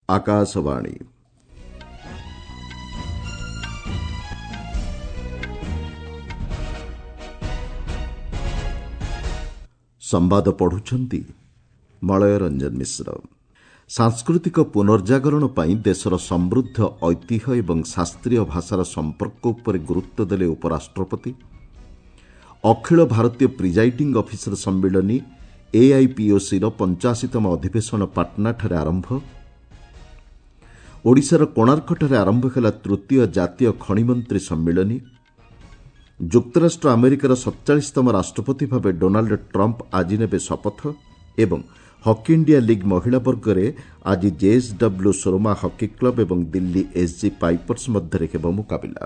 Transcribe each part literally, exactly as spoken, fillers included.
ଆକାଶବାଣୀ ସମ୍ବାଦ ପଢୁଛନ୍ତି ମଳୟ ରଞ୍ଜନ ମିଶ୍ର। ସାଂସ୍କୃତିକ ପୁନର୍ଜାଗରଣ ପାଇଁ ଦେଶର ସମୃଦ୍ଧ ଐତିହ୍ୟ ଏବଂ ଶାସ୍ତ୍ରୀୟ ଭାଷାର ସମ୍ପର୍କ ଉପରେ ଗୁରୁତ୍ୱ ଦେଲେ ଉପରାଷ୍ଟ୍ରପତି। ଅଖିଳ ଭାରତୀୟ ପ୍ରିଜାଇଡିଂ ଅଫିସର ସମ୍ମିଳନୀ ଏଆଇପିଓସିର ପଞ୍ଚାଅଶୀତମ ଅଧିବେଶନ ପାଟନାଠାରେ ଆରମ୍ଭ। ଓଡ଼ିଶାର କୋଣାର୍କଠାରେ ଆରମ୍ଭ ହେଲା ତୃତୀୟ ଜାତୀୟ ଖଣିମନ୍ତ୍ରୀ ସମ୍ମିଳନୀ। ଯୁକ୍ତରାଷ୍ଟ୍ର ଆମେରିକାର ସତଚାଳିଶତମ ରାଷ୍ଟ୍ରପତି ଭାବେ ଡୋନାଲ୍ଡ ଟ୍ରମ୍ପ ଆଜି ନେବେ ଶପଥ ଏବଂ ହକି ଇଣ୍ଡିଆ ଲିଗ୍ ମହିଳା ବର୍ଗରେ ଆଜି ଜେଏସ୍ଡବ୍ଲ୍ୟୁ ସୋରମା ହକି କ୍ଲବ ଏବଂ ଦିଲ୍ଲୀ ଏସ୍ଜି ପାଇପର୍ସ ମଧ୍ୟରେ ହେବ ମୁକାବିଲା।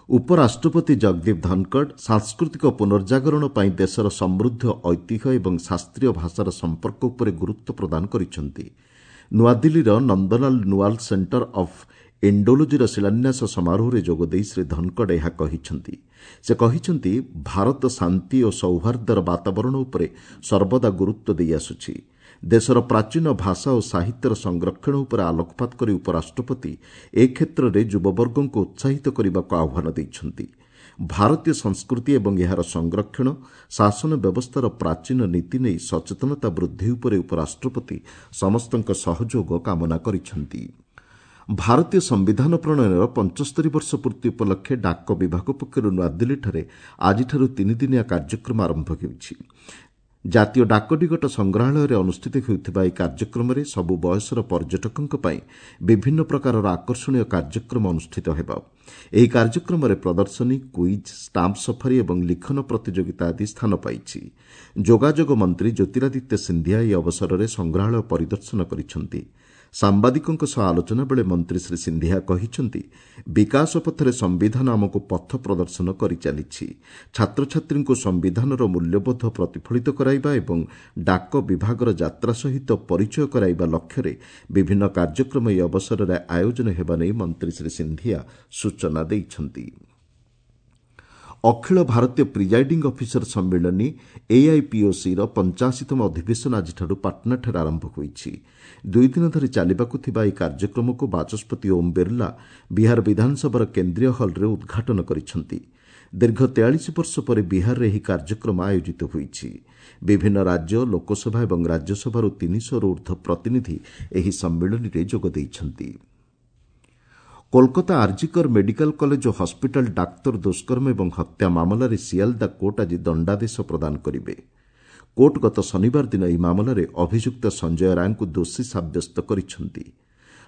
ଉପରାଷ୍ଟ୍ରପତି ଜଗଦୀପ ଧନଖଡ଼ ସାଂସ୍କୃତିକ ପୁନର୍ଜାଗରଣ ପାଇଁ ଦେଶର ସମୃଦ୍ଧ ଐତିହ୍ୟ ଏବଂ ଶାସ୍ତ୍ରୀୟ ଭାଷାର ସମ୍ପର୍କ ଉପରେ ଗୁରୁତ୍ୱ ପ୍ରଦାନ କରିଛନ୍ତି। ନୂଆଦିଲ୍ଲୀର ନନ୍ଦଲାଲ ନୁଆଲ ସେଣ୍ଟର ଅଫ୍ ଇଣ୍ଡୋଲୋଜିର ଶିଳାନ୍ୟାସ ସମାରୋହରେ ଯୋଗଦେଇ ଶ୍ରୀ ଧନଖଡ଼ ଏହା କହିଛନ୍ତି। ସେ କହିଛନ୍ତି, ଭାରତ ଶାନ୍ତି ଓ ସୌହାର୍ଦ୍ଦ୍ୟର ବାତାବରଣ ଉପରେ ସର୍ବଦା ଗୁରୁତ୍ୱ ଦେଇଆସୁଛି। ଦେଶର ପ୍ରାଚୀନ ଭାଷା ଓ ସାହିତ୍ୟର ସଂରକ୍ଷଣ ଉପରେ ଆଲୋକପାତ କରି ଉପରାଷ୍ଟ୍ରପତି ଏ କ୍ଷେତ୍ରରେ ଯୁବବର୍ଗଙ୍କୁ ଉତ୍ସାହିତ କରିବାକୁ ଆହ୍ୱାନ ଦେଇଛନ୍ତି। ଭାରତୀୟ ସଂସ୍କୃତି ଏବଂ ଏହାର ସଂରକ୍ଷଣ, ଶାସନ ବ୍ୟବସ୍ଥାର ପ୍ରାଚୀନ ନୀତି ନେଇ ସଚେତନତା ବୃଦ୍ଧି ଉପରେ ଉପରାଷ୍ଟ୍ରପତି ସମସ୍ତଙ୍କ ସହଯୋଗ କାମନା କରିଛନ୍ତି। ଭାରତୀୟ ସମ୍ବିଧାନ ପ୍ରଣୟନର ପଞ୍ଚସ୍ତରୀ ବର୍ଷ ପୂର୍ତ୍ତି ଉପଲକ୍ଷେ ଡାକ ବିଭାଗ ପକ୍ଷରୁ ନୂଆଦିଲ୍ଲୀଠାରେ ଆଜିଠାରୁ ତିନିଦିନିଆ କାର୍ଯ୍ୟକ୍ରମ ଆରମ୍ଭ ହେଉଛି। ଜାତୀୟ ଡାକଟିକଟ ସଂଗ୍ରହାଳୟରେ ଅନୁଷ୍ଠିତ ହେଉଥିବା ଏହି କାର୍ଯ୍ୟକ୍ରମରେ ସବୁ ବୟସର ପର୍ଯ୍ୟଟକଙ୍କ ପାଇଁ ବିଭିନ୍ନ ପ୍ରକାରର ଆକର୍ଷଣୀୟ କାର୍ଯ୍ୟକ୍ରମ ଅନୁଷ୍ଠିତ ହେବ। ଏହି କାର୍ଯ୍ୟକ୍ରମରେ ପ୍ରଦର୍ଶନୀ, କୁଇଜ୍, ଷ୍ଟାମ୍ପ ସଫାରି ଏବଂ ଲିଖନ ପ୍ରତିଯୋଗିତା ଆଦି ସ୍ଥାନ ପାଇଛି। ଯୋଗାଯୋଗ ମନ୍ତ୍ରୀ ଜ୍ୟୋତିରାଦିତ୍ୟ ସିନ୍ଧିଆ ଏହି ଅବସରରେ ସଂଗ୍ରହାଳୟ ପରିଦର୍ଶନ କରିଛନ୍ତି। ସାମ୍ବାଦିକଙ୍କ ସହ ଆଲୋଚନା ବେଳେ ମନ୍ତ୍ରୀ ଶ୍ରୀ ସିନ୍ଧିଆ କହିଛନ୍ତି, ବିକାଶ ପଥରେ ସମ୍ବିଧାନ ଆମକୁ ପଥ ପ୍ରଦର୍ଶନ କରିଚାଲିଛି। ଛାତ୍ରଛାତ୍ରୀଙ୍କୁ ସମ୍ବିଧାନର ମୂଲ୍ୟବୋଧ ପ୍ରତିଫଳିତ କରାଇବା ଏବଂ ଡାକ ବିଭାଗର ଯାତ୍ରା ସହିତ ପରିଚୟ କରାଇବା ଲକ୍ଷ୍ୟରେ ବିଭିନ୍ନ କାର୍ଯ୍ୟକ୍ରମ ଏହି ଅବସରରେ ଆୟୋଜନ ହେବା ନେଇ ମନ୍ତ୍ରୀ ଶ୍ରୀ ସିନ୍ଧିଆ ସୂଚନା ଦେଇଛନ୍ତି। ଅଖିଳ ଭାରତୀୟ ପ୍ରିଜାଇଡିଂ ଅଫିସର ସମ୍ମିଳନୀ ଏଆଇପିଓସିର ପଞ୍ଚାଅଶୀତମ ଅଧିବେଶନ ଆଜିଠାରୁ ପାଟନାଠାରେ ଆରମ୍ଭ ହୋଇଛି। ଦୁଇଦିନ ଧରି ଚାଲିବାକୁ ଥିବା ଏହି କାର୍ଯ୍ୟକ୍ରମକୁ ବାଚସ୍ପତି ଓମ୍ ବିର୍ଲା ବିହାର ବିଧାନସଭାର କେନ୍ଦ୍ରୀୟ ହଲ୍ରେ ଉଦ୍ଘାଟନ କରିଛନ୍ତି। ଦୀର୍ଘ ତେୟାଳିଶ ବର୍ଷ ପରେ ବିହାରରେ ଏହି କାର୍ଯ୍ୟକ୍ରମ ଆୟୋଜିତ ହୋଇଛି। ବିଭିନ୍ନ ରାଜ୍ୟ, ଲୋକସଭା ଏବଂ ରାଜ୍ୟସଭାରୁ ତିନିଶହରୁ ଉର୍ଦ୍ଧ୍ୱ ପ୍ରତିନିଧି ଏହି ସମ୍ମିଳନୀରେ ଯୋଗ ଦେଇଛନ୍ତି। କୋଲକାତା ଆର୍ଜିକର ମେଡିକାଲ କଲେଜ ଓ ହସ୍ପିଟାଲ ଡାକ୍ତର ଦୁଷ୍କର୍ମ ଏବଂ ହତ୍ୟା ମାମଲାରେ ସିଆଲଦା କୋର୍ଟ ଆଜି ଦଣ୍ଡାଦେଶ ପ୍ରଦାନ କରିବେ। କୋର୍ଟ ଗତ ଶନିବାର ଦିନ ଏହି ମାମଲାରେ ଅଭିଯୁକ୍ତ ସଞ୍ଜୟ ରାୟଙ୍କୁ ଦୋଷୀ ସାବ୍ୟସ୍ତ କରିଛନ୍ତି।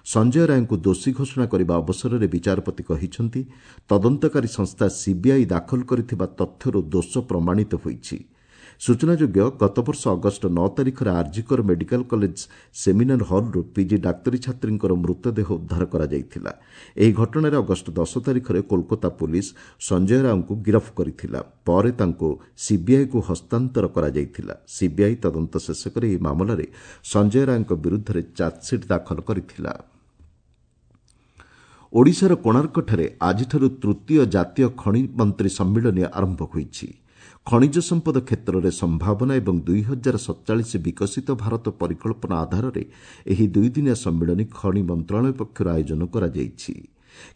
ସଞ୍ଜୟ ରାୟଙ୍କୁ ଦୋଷୀ ଘୋଷଣା କରିବା ଅବସରରେ ବିଚାରପତି କହିଛନ୍ତି, ତଦନ୍ତକାରୀ ସଂସ୍ଥା ସିବିଆଇ ଦାଖଲ କରିଥିବା ତଥ୍ୟରୁ ଦୋଷ ପ୍ରମାଣିତ ହୋଇଛି। ସୂଚନାଯୋଗ୍ୟ, ଗତବର୍ଷ ଅଗଷ୍ଟ ନଅ ତାରିଖରେ ଆର୍ଜିକର ମେଡିକାଲ କଲେଜ ସେମିନାର ହଲ୍ରୁ ପିଜି ଡାକ୍ତରୀ ଛାତ୍ରୀଙ୍କର ମୃତଦେହ ଉଦ୍ଧାର କରାଯାଇଥିଲା। ଏହି ଘଟଣାରେ ଅଗଷ୍ଟ ଦଶ ତାରିଖରେ କୋଲକାତା ପୁଲିସ ସଞ୍ଜୟ ରାଓଙ୍କୁ ଗିରଫ କରିଥିଲା। ପରେ ତାଙ୍କୁ ସିବିଆଇକୁ ହସ୍ତାନ୍ତର କରାଯାଇଥିଲା। ସିବିଆଇ ତଦନ୍ତ ଶେଷ କରି ଏହି ମାମଲାରେ ସଞ୍ଜୟ ରାୟଙ୍କ ବିରୁଦ୍ଧରେ ଚାର୍ଜସିଟ୍ ଦାଖଲ କରିଥିଲା। ଓଡ଼ିଶାର କୋଣାର୍କଠାରେ ଆଜିଠାରୁ ତୃତୀୟ ଜାତୀୟ ଖଣି ମନ୍ତ୍ରୀ ସମ୍ମିଳନୀ ଆରମ୍ଭ ହୋଇଛି। ଖଣିଜ ସମ୍ପଦ କ୍ଷେତ୍ରରେ ସମ୍ଭାବନା ଏବଂ ଦୁଇ ହଜାର ସତଚାଳିଶ ବିକଶିତ ଭାରତ ପରିକଳ୍ପନା ଆଧାରରେ ଏହି ଦୁଇଦିନିଆ ସମ୍ମିଳନୀ ଖଣି ମନ୍ତ୍ରଣାଳୟ ପକ୍ଷରୁ ଆୟୋଜନ କରାଯାଇଛି।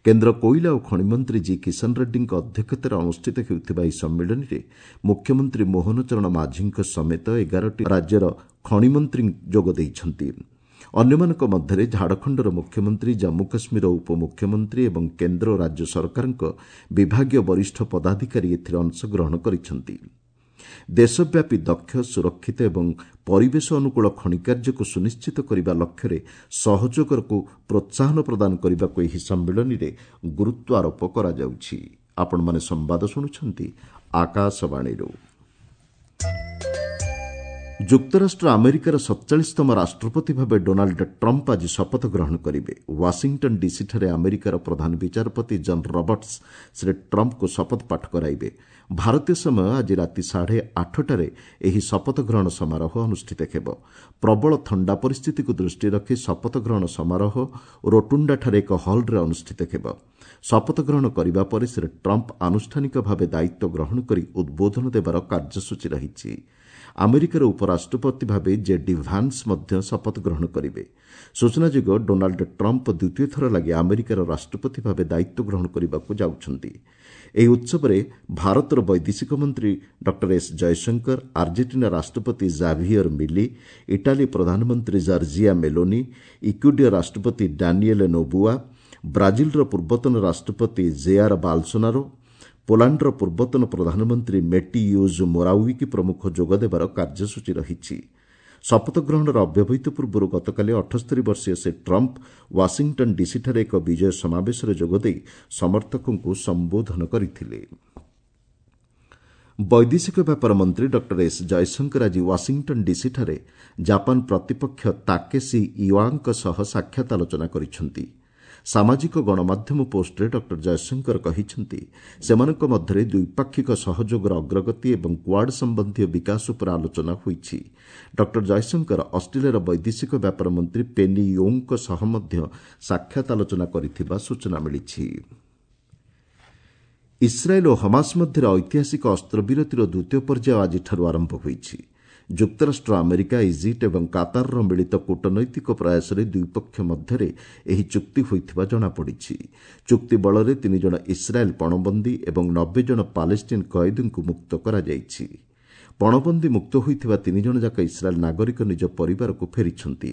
କେନ୍ଦ୍ର କୋଇଲା ଓ ଖଣିମନ୍ତ୍ରୀ ଜି କିଶନ ରେଡ୍ଡୀଙ୍କ ଅଧ୍ୟକ୍ଷତାରେ ଅନୁଷ୍ଠିତ ହେଉଥିବା ଏହି ସମ୍ମିଳନୀରେ ମୁଖ୍ୟମନ୍ତ୍ରୀ ମୋହନ ଚରଣ ମାଝୀଙ୍କ ସମେତ ଏଗାରଟି ରାଜ୍ୟର ଖଣିମନ୍ତ୍ରୀ ଯୋଗ ଦେଇଛନ୍ତି। ଅନ୍ୟମାନଙ୍କ ମଧ୍ୟରେ ଝାଡ଼ଖଣ୍ଡର ମୁଖ୍ୟମନ୍ତ୍ରୀ, ଜମ୍ମୁ କାଶ୍ମୀରର ଉପମୁଖ୍ୟମନ୍ତ୍ରୀ ଏବଂ କେନ୍ଦ୍ର ଓ ରାଜ୍ୟ ସରକାରଙ୍କ ବିଭାଗୀୟ ବରିଷ୍ଠ ପଦାଧିକାରୀ ଏଥିରେ ଅଂଶଗ୍ରହଣ କରିଛନ୍ତି। ଦେଶବ୍ୟାପୀ ଦକ୍ଷ, ସୁରକ୍ଷିତ ଏବଂ ପରିବେଶ ଅନୁକୂଳ ଖଣି କାର୍ଯ୍ୟକୁ ସୁନିଶ୍ଚିତ କରିବା ଲକ୍ଷ୍ୟରେ ସହଯୋଗକୁ ପ୍ରୋତ୍ସାହନ ପ୍ରଦାନ କରିବାକୁ ଏହି ସମ୍ମିଳନୀରେ ଗୁରୁତ୍ୱ ଆରୋପ କରାଯାଉଛି। ଆପଣମାନେ ସମ୍ବାଦ ଶୁଣୁଛନ୍ତି ଆକାଶବାଣୀରୁ। ଯୁକ୍ତରାଷ୍ଟ୍ର ଆମେରିକାର ସତଚାଳିଶତମ ରାଷ୍ଟ୍ରପତି ଭାବେ ଡୋନାଲ୍ଡ ଟ୍ରମ୍ପ ଆଜି ଶପଥ ଗ୍ରହଣ କରିବେ। ୱାଶିଂଟନ୍ ଡିସିଠାରେ ଆମେରିକାର ପ୍ରଧାନ ବିଚାରପତି ଜନ୍ ରବର୍ଟସ୍ ଶ୍ରୀ ଟ୍ରମ୍ପଙ୍କୁ ଶପଥ ପାଠ କରାଇବେ। ଭାରତୀୟ ସମୟ ଆଜି ରାତି ସାଢ଼େ ଆଠଟାରେ ଏହି ଶପଥ ଗ୍ରହଣ ସମାରୋହ ଅନୁଷ୍ଠିତ ହେବ। ପ୍ରବଳ ଥଣ୍ଡା ପରିସ୍ଥିତିକୁ ଦୃଷ୍ଟିରେ ରଖି ଶପଥ ଗ୍ରହଣ ସମାରୋହ ରୋଟୁଣ୍ଡାଠାରେ ଏକ ହଲ୍ରେ ଅନୁଷ୍ଠିତ ହେବ। ଶପଥ ଗ୍ରହଣ କରିବା ପରେ ଶ୍ରୀ ଟ୍ରମ୍ପ ଆନୁଷ୍ଠାନିକ ଭାବେ ଦାୟିତ୍ୱ ଗ୍ରହଣ କରି ଉଦ୍ବୋଧନ ଦେବାର କାର୍ଯ୍ୟସୂଚୀ ରହିଛି। ଆମେରିକାର ଉପରାଷ୍ଟ୍ରପତି ଭାବେ ଜେ ଡି ଭାନ୍ସ ମଧ୍ୟ ଶପଥ ଗ୍ରହଣ କରିବେ। ସୂଚନାଯୋଗ୍ୟ, ଡୋନାଲ୍ଡ ଟ୍ରମ୍ପ ଦ୍ୱିତୀୟ ଥର ଲାଗି ଆମେରିକାର ରାଷ୍ଟ୍ରପତି ଭାବେ ଦାୟିତ୍ୱ ଗ୍ରହଣ କରିବାକୁ ଯାଉଛନ୍ତି। ଏହି ଉତ୍ସବରେ ଭାରତର ବୈଦେଶିକ ମନ୍ତ୍ରୀ ଡକ୍ଟର ଏସ୍ ଜୟଶଙ୍କର, ଆର୍ଜେଣ୍ଟିନା ରାଷ୍ଟ୍ରପତି ଜାଭିୟର ମିଲି, ଇଟାଲୀ ପ୍ରଧାନମନ୍ତ୍ରୀ ଜର୍ଜିଆ ମେଲୋନି, ଇକ୍ୟୁଡିୟର ରାଷ୍ଟ୍ରପତି ଡାନିଏଲ ନୋବୁଆ, ବ୍ରାଜିଲର ପୂର୍ବତନ ରାଷ୍ଟ୍ରପତି ଜେଆର ବାଲସୋନାରୋ, ପୋଲାଣ୍ଡର ପୂର୍ବତନ ପ୍ରଧାନମନ୍ତ୍ରୀ ମେଟି ୟୁଜ୍ ମୋରାୱିକି ପ୍ରମୁଖ ଯୋଗଦେବାର କାର୍ଯ୍ୟସୂଚୀ ରହିଛି। ଶପଥ ଗ୍ରହଣର ଅବ୍ୟବହିତ ପୂର୍ବରୁ ଗତକାଲି ଅଠସ୍ତରୀ ବର୍ଷୀୟ ଶ୍ରୀ ଟ୍ରମ୍ପ ୱାଶିଂଟନ୍ ଡିସିଠାରେ ଏକ ବିଜୟ ସମାବେଶରେ ଯୋଗଦେଇ ସମର୍ଥକଙ୍କୁ ସମ୍ବୋଧନ କରିଥିଲେ। ବୈଦେଶିକ ବ୍ୟାପାର ମନ୍ତ୍ରୀ ଡକ୍ଟର ଏସ୍ ଜୟଶଙ୍କର ଆଜି ୱାଶିଂଟନ୍ ଡିସିଠାରେ ଜାପାନ ପ୍ରତିପକ୍ଷ ତାକେସି ଇୱାଙ୍କ ସହ ସାକ୍ଷାତ ଆଲୋଚନା କରିଛନ୍ତି। ସାମାଜିକ ଗଣମାଧ୍ୟମ ପୋଷ୍ଟରେ ଡକ୍ଟର ଜୟଶଙ୍କର କହିଛନ୍ତି, ସେମାନଙ୍କ ମଧ୍ୟରେ ଦ୍ୱିପାକ୍ଷିକ ସହଯୋଗର ଅଗ୍ରଗତି ଏବଂ କ୍ୱାଡ୍ ସମ୍ବନ୍ଧୀୟ ବିକାଶ ଉପରେ ଆଲୋଚନା ହୋଇଛି। ଡକ୍ଟର ଜୟଶଙ୍କର ଅଷ୍ଟ୍ରେଲିଆର ବୈଦେଶିକ ବ୍ୟାପାର ମନ୍ତ୍ରୀ ପେନି ୟୋଙ୍ଗଙ୍କ ସହ ମଧ୍ୟ ସାକ୍ଷାତ ଆଲୋଚନା କରିଥିବା ସୂଚନା ମିଳିଛି। ଇସ୍ରାଏଲ୍ ଓ ହମାସ ମଧ୍ୟରେ ଐତିହାସିକ ଅସ୍ତ୍ରବିରତିର ଦ୍ୱିତୀୟ ପର୍ଯ୍ୟାୟ ଆଜିଠାରୁ ଆରମ୍ଭ ହୋଇଛି। ଯୁକ୍ତରାଷ୍ଟ୍ର ଆମେରିକା, ଇଜିପ୍ଟ ଏବଂ କାତାରର ମିଳିତ କୂଟନୈତିକ ପ୍ରୟାସରେ ଦୁଇପକ୍ଷ ମଧ୍ୟରେ ଏହି ଚୁକ୍ତି ହୋଇଥିବା ଜଣାପଡ଼ିଛି। ଚୁକ୍ତି ବଳରେ ତିନି ଜଣ ଇସ୍ରାଏଲ୍ ପଣବନ୍ଦୀ ଏବଂ ନବେ ଜଣ ପାଲେଷ୍ଟିନ୍ କଏଦୀଙ୍କୁ ମୁକ୍ତ କରାଯାଇଛି। ପଣବନ୍ଦୀ ମୁକ୍ତ ହୋଇଥିବା ତିନି ଜଣଯାକ ଇସ୍ରାଏଲ୍ ନାଗରିକ ନିଜ ପରିବାରକୁ ଫେରିଛନ୍ତି।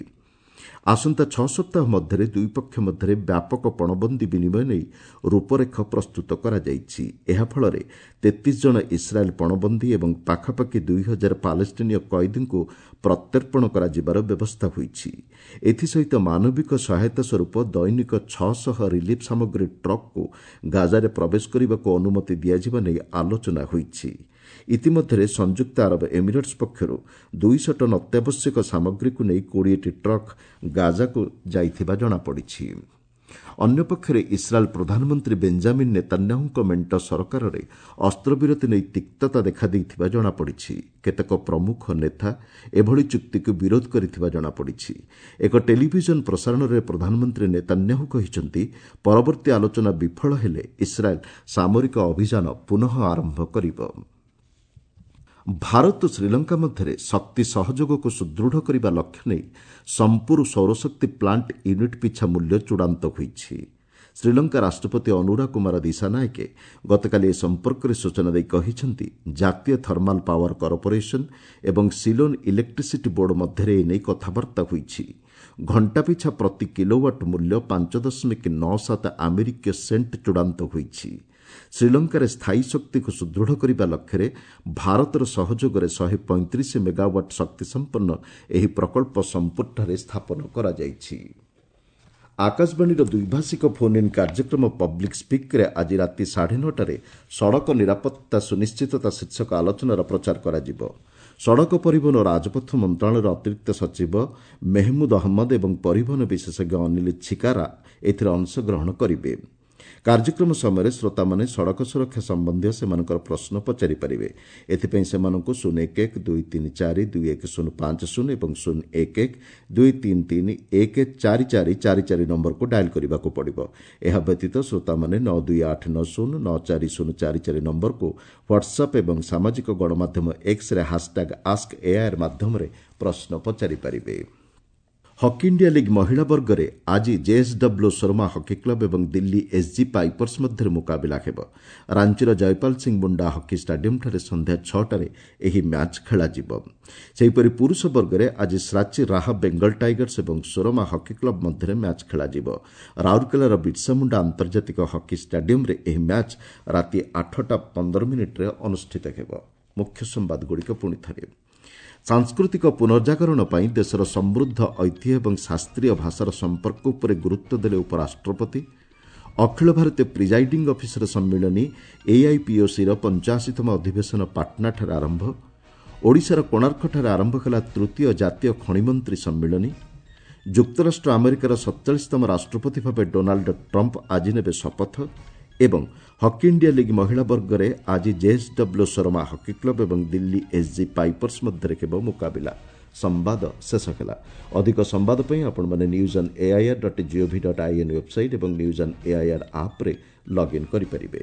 ଆସନ୍ତା ଛଅ ସପ୍ତାହ ମଧ୍ୟରେ ଦୁଇପକ୍ଷ ମଧ୍ୟରେ ବ୍ୟାପକ ପଣବନ୍ଦୀ ବିନିମୟ ନେଇ ରୂପରେଖ ପ୍ରସ୍ତୁତ କରାଯାଇଛି। ଏହାଫଳରେ ତେତିଶ ଜଣ ଇସ୍ରାଏଲ୍ ପଣବନ୍ଦୀ ଏବଂ ପାଖାପାଖି ଦୁଇ ହଜାର ପାଲେଷ୍ଟିନୀୟ କଏଦୀଙ୍କୁ ପ୍ରତ୍ୟର୍ପଣ କରାଯିବାର ବ୍ୟବସ୍ଥା ହୋଇଛି। ଏଥିସହିତ ମାନବିକ ସହାୟତା ସ୍ୱରୂପ ଦୈନିକ ଛଅଶହ ରିଲିଫ୍ ସାମଗ୍ରୀ ଟ୍ରକ୍କୁ ଗାଜାରେ ପ୍ରବେଶ କରିବାକୁ ଅନୁମତି ଦିଆଯିବା ନେଇ ଆଲୋଚନା ହୋଇଛି। ଇତିମଧ୍ୟରେ ସଂଯୁକ୍ତ ଆରବ ଏମିରେଟ୍ସ ପକ୍ଷରୁ ଦୁଇଶହ ଟନ୍ ଅତ୍ୟାବଶ୍ୟକ ସାମଗ୍ରୀକୁ ନେଇ କୋଡ଼ିଏଟି ଟ୍ରକ୍ ଗାଜାକୁ ଯାଇଥିବା ଜଣାପଡ଼ିଛି। ଅନ୍ୟପକ୍ଷରେ ଇସ୍ରାଏଲ୍ ପ୍ରଧାନମନ୍ତ୍ରୀ ବେଞ୍ଜାମିନ୍ ନେତାନ୍ୟାହୁଙ୍କ ମେଣ୍ଟ ସରକାରରେ ଅସ୍ତ୍ରବିରତି ନେଇ ତିକ୍ତତା ଦେଖାଦେଇଥିବା ଜଣାପଡ଼ିଛି। କେତେକ ପ୍ରମୁଖ ନେତା ଏଭଳି ଚୁକ୍ତିକୁ ବିରୋଧ କରିଥିବା ଜଣାପଡ଼ିଛି। ଏକ ଟେଲିଭିଜନ ପ୍ରସାରଣରେ ପ୍ରଧାନମନ୍ତ୍ରୀ ନେତାନ୍ୟାହୁ କହିଛନ୍ତି, ପରବର୍ତ୍ତୀ ଆଲୋଚନା ବିଫଳ ହେଲେ ଇସ୍ରାଏଲ୍ ସାମରିକ ଅଭିଯାନ ପୁନଃ ଆରମ୍ଭ କରିବ। ଭାରତ ଓ ଶ୍ରୀଲଙ୍କା ମଧ୍ୟରେ ଶକ୍ତି ସହଯୋଗକୁ ସୁଦୃଢ଼ କରିବା ଲକ୍ଷ୍ୟ ନେଇ ସମ୍ପୁର ସୌରଶକ୍ତି ପ୍ଲାଣ୍ଟ ୟୁନିଟ୍ ପିଛା ମୂଲ୍ୟ ଚୂଡ଼ାନ୍ତ ହୋଇଛି। ଶ୍ରୀଲଙ୍କା ରାଷ୍ଟ୍ରପତି ଅନୁରା କୁମାର ଦିଶାନାୟକେ ଗତକାଲି ଏ ସମ୍ପର୍କରେ ସୂଚନା ଦେଇ କହିଛନ୍ତି, ଜାତୀୟ ଥର୍ମାଲ ପାୱାର କର୍ପୋରେସନ୍ ଏବଂ ସିଲୋନ୍ ଇଲେକ୍ଟ୍ରିସିଟି ବୋର୍ଡ ମଧ୍ୟରେ ଏ ନେଇ କଥାବାର୍ତ୍ତା ହୋଇଛି। ଘଣ୍ଟା ପିଛା ପ୍ରତି କିଲୋୱାଟ୍ ମୂଲ୍ୟ ପାଞ୍ଚ ଦଶମିକ ନଅ ସାତ ଆମେରିକୀୟ ସେଣ୍ଟ ଚୂଡ଼ାନ୍ତ ହୋଇଛି। ଶ୍ରୀଲଙ୍କାରେ ସ୍ଥାୟୀ ଶକ୍ତିକୁ ସୁଦୃଢ଼ କରିବା ଲକ୍ଷ୍ୟରେ ଭାରତର ସହଯୋଗରେ ଶହେ ପଇଁତିରିଶ ମେଗାୱାଟ୍ ଶକ୍ତିସମ୍ପନ୍ନ ଏହି ପ୍ରକଳ୍ପ ସମ୍ପୁରଠାରେ ସ୍ଥାପନ କରାଯାଇଛି। ଆକାଶବାଣୀର ଦ୍ୱିଭାଷିକ ଫୋନ୍ ଇନ୍ କାର୍ଯ୍ୟକ୍ରମ ପବ୍ଲିକ୍ ସ୍ପିକ୍ରେ ଆଜି ରାତି ସାଢ଼େ ନଅଟାରେ ସଡ଼କ ନିରାପତ୍ତା ସୁନିଶ୍ଚିତତା ଶୀର୍ଷକ ଆଲୋଚନାର ପ୍ରଚାର କରାଯିବ। ସଡ଼କ ପରିବହନ ଓ ରାଜପଥ ମନ୍ତ୍ରଣାଳୟର ଅତିରିକ୍ତ ସଚିବ ମେହମୁଦ ଅହମ୍ମଦ ଏବଂ ପରିବହନ ବିଶେଷଜ୍ଞ ଅନିଲ ଛିକାରା ଏଥିରେ ଅଂଶଗ୍ରହଣ କରିବେ। କାର୍ଯ୍ୟକ୍ରମ ସମୟରେ ଶ୍ରୋତାମାନେ ସଡ଼କ ସୁରକ୍ଷା ସମ୍ବନ୍ଧୀୟ ସେମାନଙ୍କର ପ୍ରଶ୍ନ ପଚାରିପାରିବେ। ଏଥିପାଇଁ ସେମାନଙ୍କୁ ଶୂନ ଏକ ଏକ ଦୁଇ ତିନି ଚାରି ଦୁଇ ଏକ ଶୂନ ପାଞ୍ଚ ଶୂନ ଏବଂ ଶୂନ ଏକ ଏକ ଦୁଇ ତିନି ତିନି ଏକ ଚାରି ଚାରି ଚାରି ଚାରି ନମ୍ବରକୁ ଡାଏଲ୍ କରିବାକୁ ପଡ଼ିବ। ଏହା ବ୍ୟତୀତ ଶ୍ରୋତାମାନେ ନଅ ଦୁଇ ଆଠ ନଅ ଶୂନ ନଅ ଚାରି ଶୂନ ଚାରି ଚାରି ନମ୍ବରକୁ ହ୍ୱାଟ୍ସଆପ୍ ଏବଂ ସାମାଜିକ ଗଣମାଧ୍ୟମ ଏକ୍ସରେ ହାସ୍ଟ୍ୟାଗ୍ ଆସ୍କ ଏଆଇଆର୍ ମାଧ୍ୟମରେ ପ୍ରଶ୍ନ ପଚାରିପାରିବେ। ହକି ଇଣ୍ଡିଆ ଲିଗ୍ ମହିଳା ବର୍ଗରେ ଆଜି ଜେଏସ୍ଡବ୍ଲ୍ୟୁ ସୋରମା ହକି କ୍ଲବ୍ ଏବଂ ଦିଲ୍ଲୀ ଏସ୍ଜି ପାଇପର୍ସ ମଧ୍ୟରେ ମୁକାବିଲା ହେବ। ରାଞ୍ଚିର ଜୟପାଲ ସିଂ ମୁଣ୍ଡା ହକି ଷ୍ଟାଡିୟମ୍ଠାରେ ସନ୍ଧ୍ୟା ଛଅଟାରେ ଏହି ମ୍ୟାଚ୍ ଖେଳାଯିବ। ସେହିପରି ପୁରୁଷ ବର୍ଗରେ ଆଜି ଶ୍ରାଚୀ ରାହା ବେଙ୍ଗଲ ଟାଇଗର୍ସ ଏବଂ ସୋରମା ହକି କ୍ଲବ୍ ମଧ୍ୟରେ ମ୍ୟାଚ୍ ଖେଳାଯିବ। ରାଉରକେଲାର ବିର୍ସା ମୁଣ୍ଡା ଆନ୍ତର୍ଜାତିକ ହକି ଷ୍ଟାଡିୟମ୍ରେ ଏହି ମ୍ୟାଚ୍ ରାତି ଆଠଟା ପନ୍ଦର ମିନିଟ୍ରେ ଅନୁଷ୍ଠିତ ହେବ। ମୁଖ୍ୟ ସମ୍ବାଦଗୁଡ଼ିକ ପୁଣି ଥରେ, ସାଂସ୍କୃତିକ ପୁନର୍ଜାଗରଣ ପାଇଁ ଦେଶର ସମୃଦ୍ଧ ଐତିହ୍ୟ ଏବଂ ଶାସ୍ତ୍ରୀୟ ଭାଷାର ସମ୍ପର୍କ ଉପରେ ଗୁରୁତ୍ୱ ଦେଲେ ଉପରାଷ୍ଟ୍ରପତି। ଅଖିଳ ଭାରତୀୟ ପ୍ରିଜାଇଡିଂ ଅଫିସର ସମ୍ମିଳନୀ ଏଆଇପିଓସିର ପଞ୍ଚାଅଶୀତମ ଅଧିବେଶନ ପାଟନାଠାରେ ଆରମ୍ଭ। ଓଡ଼ିଶାର କୋଣାର୍କଠାରେ ଆରମ୍ଭ ହେଲା ତୃତୀୟ ଜାତୀୟ ଖଣିମନ୍ତ୍ରୀ ସମ୍ମିଳନୀ। ଯୁକ୍ତରାଷ୍ଟ୍ର ଆମେରିକାର ସତଚାଳିଶତମ ରାଷ୍ଟ୍ରପତି ଭାବେ ଡୋନାଲ୍ଡ ଟ୍ରମ୍ପ ଆଜି ନେବେ ଶପଥ। ଏବଂ ହକି ଇଣ୍ଡିଆ ଲିଗ୍ ମହିଳା ବର୍ଗରେ ଆଜି ଜେଏସ୍ଡବ୍ଲ୍ୟୁ ସୋରମା ହକି କ୍ଲବ୍ ଏବଂ ଦିଲ୍ଲୀ ଏସ୍ଜି ପାଇପର୍ସ ମଧ୍ୟରେ ହେବ ମୁକାବିଲା। ସମ୍ବାଦ ଶେଷ ହେଲା। ଅଧିକ ସମ୍ବାଦ ପାଇଁ ଆପଣମାନେ news on AIR dot GOV dot IN website ଏବଂ ନ୍ୟୁଜ୍ ଅନ୍ ଏଆଇଆର୍ ଆପ୍ରେ ଲଗ୍ଇନ୍ କରିପାରିବେ।